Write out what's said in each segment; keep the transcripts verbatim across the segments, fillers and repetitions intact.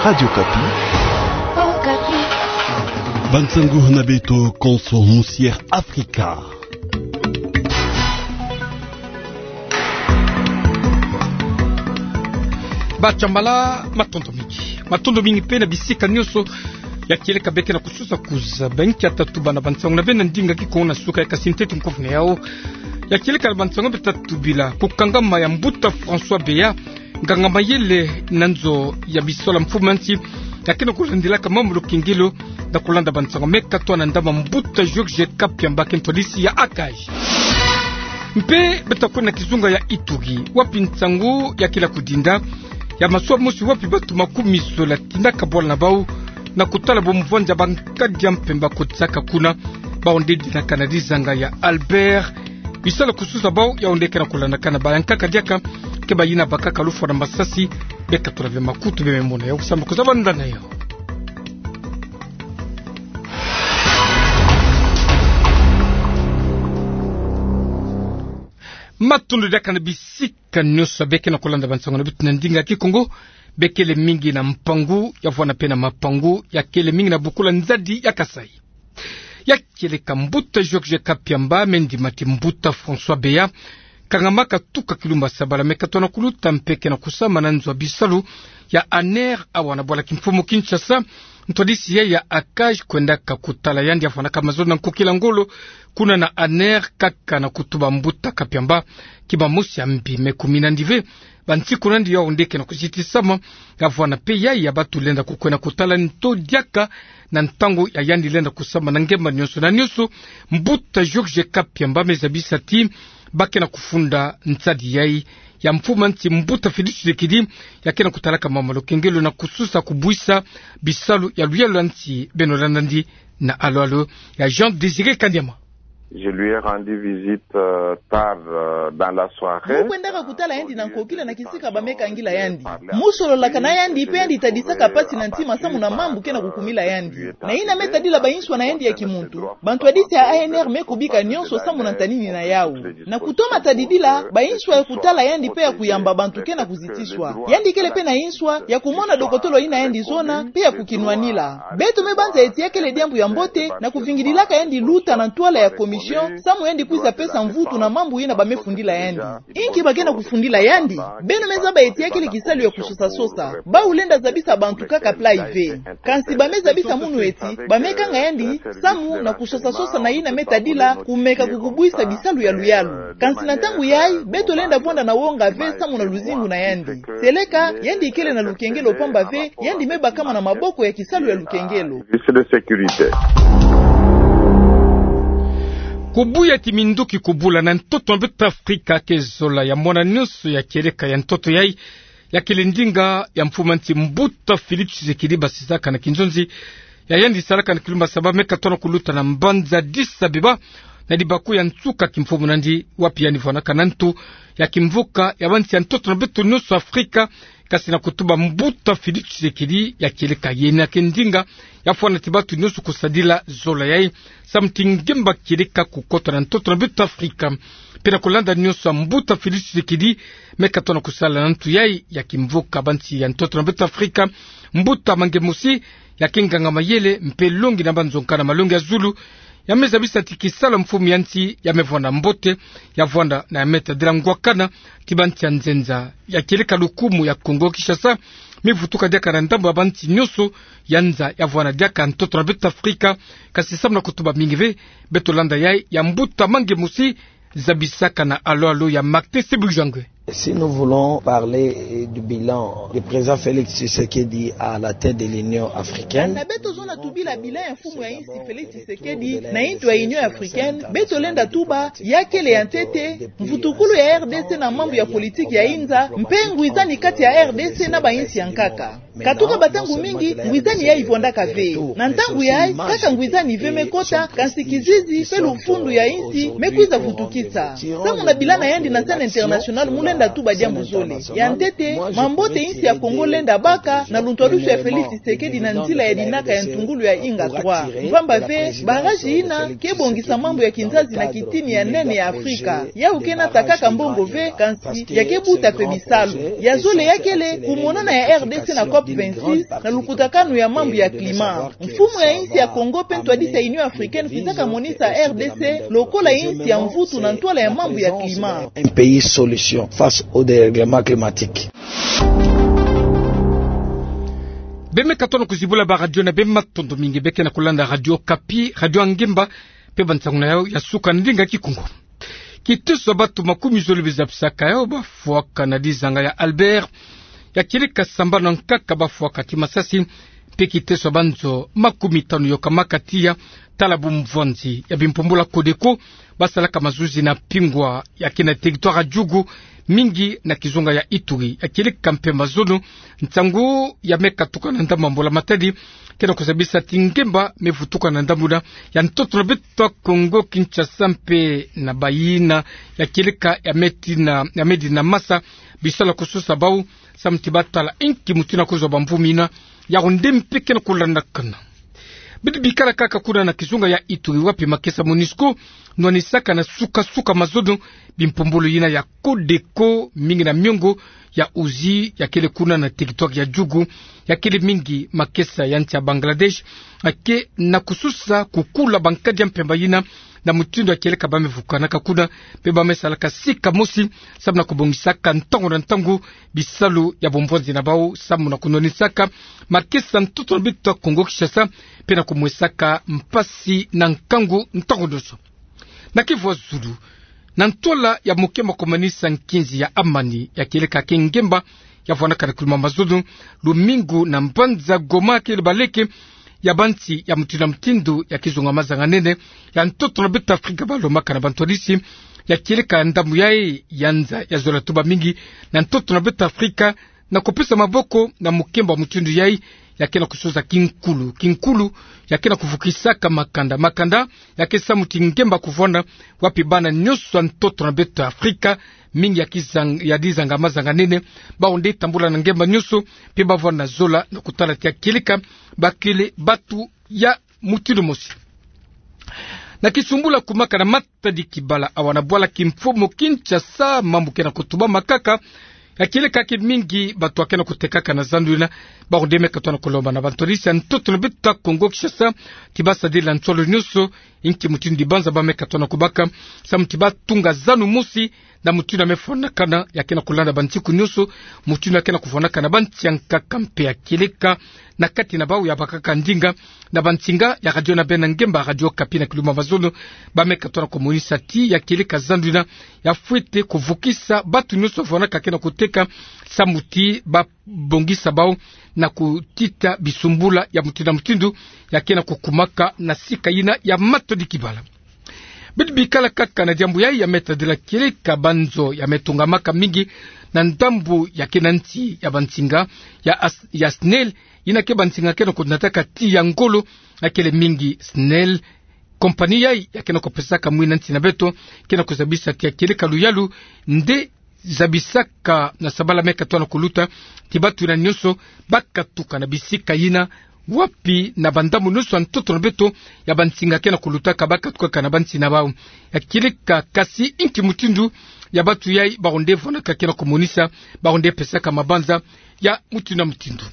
Radio Okapi. Bansangu na beto konso musi Air Afrika. Bachambala, matondo mingi. Matondo mingi mpe na bisika nyonso ya kieleka beke na kususa kuza. Banki ya tatu bana bansangu na beno na ndinga Kikongo na suka ya kasi ntete nkofu na yau. Ya kieleka na bansangu beta tubila: kukangama ya mbuta François Beya, nganga mayele na nzo ya bisalu ya mfumu ya nsi, ya ke na kulandilaka mambu lukengelo, na kulanda bansangu meka twa na ndambu ya mbuta Georges Kapiamba, ke ntwadisi ya ACAJ. Mpe beta kwenda na kizunga ya Ituri, wapi nsangu ya kila kudinda ya masuwa mosi wapi batu makumi zola tindaka bwala na bau na kutala bomvwanja bankadi ya mpemba kotisaka kuna. Bau nde dinaka na dizanga ya Albert. Bisalu kususa bau yau nde ke na kulandakana. Bayankaka diaka, ke bayina bakaka lufwa na masasi. Beka tula ve makutu, beme mona yau, kusamba kuzabanda na yau. Matondo diaka na bisika nyonso beke na kulanda bansangu na beto na ndinga Kikongo. Bekele mingi na mpangu ya vwanda mpe na mapangu, ya kele mingi na bukula nzadi ya Kasaï. Ya kieleka, mbuta Georges Kapiamba me ndima ti mbuta François Beya kangamaka tuka kilumbu ya sabala meka twa na kuluta, mpe ke na kusama na nzo ya bisalu ya ANR awa na bwala kimfumu Kinshasa. Ntwadisi ya ACAJ kwendaka kutala yandi, ya vwandaka mazono na nkokila ngolo kuna na ANR, kaka na kutuba mbuta Kapiamba kimamosi ya mbi. Me kumina ndi ve, bansiku na ndi yau nde ke na kuzitisama, ya vwanda mpe yayi ya batu lenda kukwenda kutala nto diaka na ntangu ya yandi lenda kusama na ngemba nyonso na nyonso. Mbuta Georges Kapiamba me zabisa ti ba ke na kufunda nsadi yayi ya mfumu ya nsi mbuta Félix Tshisekedi, ya ke na kutalaka mambu ya lukengelo na kususa kubwisa bisalu ya luyalu ya nsi. Beno landa ndi na alo-alo ya Jean Désiré Kanyama. Je lui ai rendu visite, euh, tard, euh, dans la soirée. Mu kwendaka kutala yandi na nkokila na kisika ba me kangila yandi. Mu sololaka na yandi, mpe yandi tadisaka pasi na ntima samu na mambu ke na kukumila yandi. Na yina me tadila bayinswa na yandi ya kimuntu, bantwadisi ya ANR me kubika nyonso samu na ntanini na yau. Na kutoma tadidila, bayinswa ya kutala yandi mpe ya kuyamba bantu ke na kuzitiswa. Yandi kele mpe na yinswa ya kumona dokotolo yina yandi zona mpe ya kukinwanila. Beto me banza eti ya kele diambu ya mbote na kuvingililaka yandi luta na ntwala ya commission, samu yandi kwiza pesa mvutu na mambu yina ba me fundila yandi. Inki ba ke na kufundila yandi? Beno me zaba eti ya kele kisalu ya kusosa-sosa. Bau lenda zabisa bantu kaka plat ve. Kansi ba me zabisa munu eti ba me kanga yandi samu na kusosa-sosa na yina me tadila kumeka kukubwisa bisalu ya luyalu. Kansi na ntangu yayi, beto lenda vwanda na wonga ve samu na luzingu na yandi. Seleka, yandi kele na lukengelo pamba ve, yandi me bakama na maboko ya kisalu ya lukengelo. Service de sécurité. Kubuya ti minduki kubula na ntoto na beto Afrika ke zola ya mwana nyonso ya kieleka ya ntoto yayi, ya kele ndinga ya mfumu ya nsi mbuta Félix Tshisekedi basisaka na kinzonzi ya yandi salaka na kilumbu ya saba meka tona kuluta na mbanza Addis Abeba, na libaku ya nsuka kimfumu nandi, wapi yandi vwanaka na ntu ya kimvuka ya bansi ya ntoto na beto nyonso Afrika, kasi na kutuba mbuta Félix Tshisekedi ya kieleka yena ke ndinga ya vwana ti bato nyonso kusadila zola yayi, samu ti ngemba kieleka kukota na ntoto na beto Afrika. Mpe na kulanda nyonso ya mbuta Félix Tshisekedi meka tona kusala na ntu yayi ya kimvuka bansi ya ntoto na beto Afrika, mbuta Mange Musi, ya ke nganga mayele mpe longi na banzonka na malongi ya zulu, ya me zabisa ti kisalu ya mfumu ya nsi ya me vwanda mbote, ya vwanda na ya me tadila ngwakana ti bansi ya nzenza ya kieleka lukumu ya Kongo Kinshasa, me vutuka diaka na ndambu ya bansi nyonso ya nza ya vwana diaka ntoto na beto Afrika. Kasi samu na kutuba mingi ve, beto landa yayi ya mbuta Mange Musi, zabisaka na alo-alo ya Martin Sebujangwe. Si nous voulons parler, euh, du bilan du président Félix Tshisekedi à la tête de l'Union africaine. Kana beto zona tubila bilan ya mfumu ya nsi Félix Tshisekedi na ntu ya Union africaine, beto lenda tuba ya kele ya ntete mvutukulu ya R D C na mambu ya politiki ya inza, mpe ngwizani kati ya R D C na bansi ya nkaka. Katuka bantangu mingi, ngwizani yayi vwandaka ve. Na ntangu yayi, kaka ngwizani ve me kota, kansi kizizi mpe lufundu ya nsi me kwiza vutukisa. Samu na bilan na yandi na scène internationale, mu lenda lenda tuba diambu zole. Ya ntete, mambote insi ya Kongo lenda baka na luntwadusu ya Félix Tshisekedi na nzila ya dinaka ya ntungulu ya Inga trois. Mpamba ve, barrage yina ke bongisa mambu ya kinzazi na kitini ya nene ya Afrika. Yawu ke nata kaka mbongo ve, kansi ya ke buta mpe bisalu. Ya zole ya kele kumonana ya R D C na COP vingt-six na lukutakanu ya mambu ya climat. Mfumu ya insi ya Kongo mpe ntwadisi ya Union Africaine kwizaka monisa R D C lokola insi ya mvutu na ntwala ya mambu ya climat. Un pays solution face au dérèglement climatique. Beno me katono kuzibula ba radio na beno, matondo mingi. Beno ke na kulanda Radio Okapi, radio ya ngemba, mpe bansangu na yawu ya suka na ndinga Kikongo. Kiteso ya bato makumi zole biza bisaka yawu bafwaka na dizanga ya Albert, ya kieleka sambanu ya nkaka bafwaka ti masasi, mpe kiteso ya banzo makumi tanu yokamaka tiya tala bumvwanzi ya bimpumbulu ya Codeco, basalaka mazuzi na Pingwa, ya ke na territoire ya Djugu, mingi na kizunga ya Ituri. Ya kieleka mpe mazono, nsangu ya me katuka na ndambu ya mbula-matadi, ke na kuzabisa ti ngemba me vutuka na ndambu yina ya ntoto na beto ya Kongo Kinshasa mpe na bayina ya kieleka ya me tina, ya me dina masa bisalu ya kusosa bawu, samu ti batala inki mutindu ya kuzwa bamvumi yina yawu nde mpe ke na kulandakana. Beto bikala kaka kuna na kizunga ya Ituri, wapi makesa MONUSCO nwanisaka na suka-suka mazono bimpumbulu yina ya Codeco, mingi na miongo ya uzi ya kele kuna na territoire ya Djugu, ya kele mingi makesa ya nsi ya Bangladesh, ya ke na kusosa kukula bankadi ya mpemba yina, na mutindu ya kieleka ba me vukanaka kuna, mpe ba me salaka sika mosi, samu na kubongisaka ntangu na ntangu bisalu ya bumvwanzi na bawu, samu na kunwanisaka makesa ntoto na beto ya Kongo Kinshasa, mpe na kumwesaka mpasi na nkangu ntangu nyonso. Na Kivu ya zulu, na ntwala ya mokembo ya kumanisa nkinzi ya amani ya kieleka ke ngemba ya vwanaka na kiluma mazono, lumingu na mbanza Goma, kele baleke ya bansi ya mutindu na mutindu ya kizunga mazanga-nene ya ntoto na beto Afrika, balomaka na bantwadisi ya kieleka ndambu yayi ya nza ya zola tuba mingi na ntoto na beto Afrika, na kupesa maboko na mokembo ya mutindu yayi, ya ke na kusosa kinkulu, kinkulu ya ke na kuvukisaka makanda, makanda ya ke samu ti ngemba kuvwanda, wapi bana nyonso ya ntoto na beto ya Afrika, mingi ya kizang-, ya dizanga mazanga-nene, bawu nde tambula na ngemba nyonso, mpe bavwanda na zola na kutala ti ya kieleka ba kele bato ya mutindu mosi. Na kisumbula kumaka na Matadi Kibala, awa na bwala Kimfumu Kinshasa, mambu ke na kutubama kaka. Ya kieleka ke mingi bato ya ke na kutekaka na zandu yina, bawu nde me katono kulomba na bantwadisi ya ntoto na beto ya Kongo Kinshasa ti basadila nsolo nyonso inki mutindu dibanza ba me katono kubaka, samu ti batunga zandu mosi na mutindu ya me fwanakana, ya ke na kulanda bansiku nyonso, mutindu ya ke na kufwanakana bansi ya nkaka mpe ya kieleka na kati na bawu ya bakaka ndinga na bansinga ya radio na beno ya ngemba, Radio Okapi, na kiluma mazono, ba me katono kumonisa ti ya kieleka zandu yina ya fwete kuvukisa bato nyonso vwanaka ke na kuteka, samu ti babongisa bawu na kutita bisumbula ya mutindu na mutindu ya ke na kukumaka na sika yina ya Matadi Kibala. Beto bikala kaka na diambu yayi, ya me tadila kieleka banzo ya me tungamaka mingi na ndambu ya ke na nsi ya bansinga ya as-, ya SNEL, yina ke bansinga ke na kunataka ti ya ngolo, ya kele mingi SNEL. Kompani yayi ya ke na kupesaka mwina nsi na beto ke na kuzabisa ti ya kieleka luyalu nde zabisaka na sabala me katono kuluta ti bato yina nyonso ba katuka na bisika yina, wapi na bandambu nyonso ya ntoto na beto ya bansinga ke na kulutaka, ba katukaka na bansi na bawu. Ya kieleka kasi inki mutindu ya bato yayi bawu nde vwanaka ke na kumonisa, bawu nde pesaka mabanza ya mutindu na mutindu.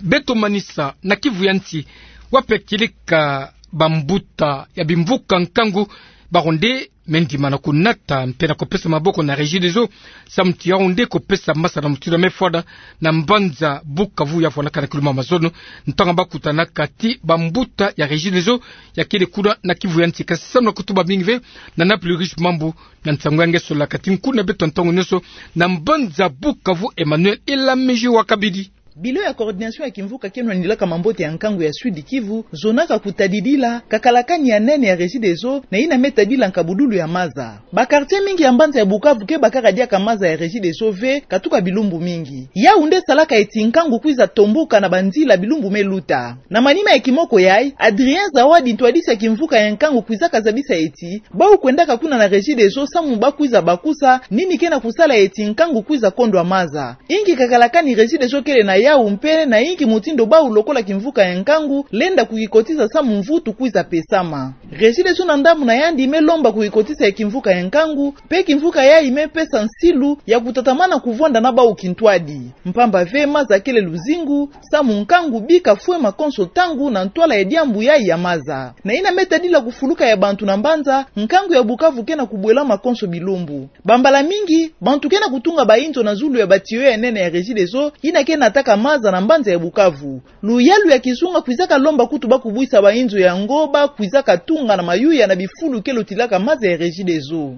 Beto manisa na Kivu ya nsi, wapi ya kieleka bambuta ya bimvuka nkangu, bawu nde me ndima na kunata mpe na kupesa maboko na Regideso, samu ti yawu nde kupesa masa na mutindu ya me fwada na mbanza Bukavu ya vwanaka na kiluma mazono, ntangu ba kutanaka ti bambuta ya Regideso ya kele kuna na Kivu ya nsi. Kasi samu na kutuba mingi ve, na Naples Riche Mambu na nsangu ya nge solaka ti nkuna beto ntangu nyonso na mbanza Bukavu, Emmanuel Elamiji wa Kabidi. Bilo ya coordination ya kimvuka ke nwanilaka mambote ya nkangu ya Sud-Kivu zonaka kutadidila kakalakani ya nene ya Regideso na yina me tadila nkabululu ya maza. Ba quartier mingi ya mbanza ya Bukavu ke bakaka diaka maza ya Regideso ve katuka bilumbu mingi. Yawu nde salaka eti nkangu kwiza tombuka na banzila bilumbu me luta. Na manima ya kimoko yayi, Adrien Zawadi, ntwadisi ya kimvuka ya nkangu, kwizaka zabisa eti bawu kwendaka kuna na Regideso samu ba kwiza bakusa nini ke na kusala eti nkangu kwiza kondwa maza. Inki kakalakani Regideso kele na yawu mpe na inki mutindu bawu lokola kimvuka ya nkangu lenda kukikotisa samu mvutu kwiza pesama. Regideso na ndambu na yandi me lomba kukikotisa ya kimvuka ya nkangu, mpe kimvuka yayi me pesa nsilu ya kutatamana kuvwanda na bawu kintwadi. Mpamba ve maza kele luzingu, samu nkangu bika fwe makonso ntangu na ntwala ya diambu yayi ya maza. Na yina me tadila kufuluka ya bantu na mbanza, nkangu ya Bukavu ke na kubwela makonso bilumbu. Bambala mingi, bantu ke na kutunga ba inzo na zulu ya ba tuyau ya nene ya Regideso, yina ke nataka maza na mbanza ya Bukavu. Luyalu ya kizunga kwizaka lomba kutu ba kubwisa ba inzo yango ba kwizaka tunga na mayuya na bifulu ke lotilaka maza ya Regideso.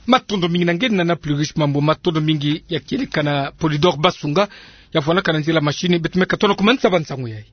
Matondo mingi na nge, Nana Plurish Mambu. Matondo mingi ya kieleka na Polydor Basunga, ya vwanaka na nzila machine. Beto me katono ku mansa ba nsangu yayi.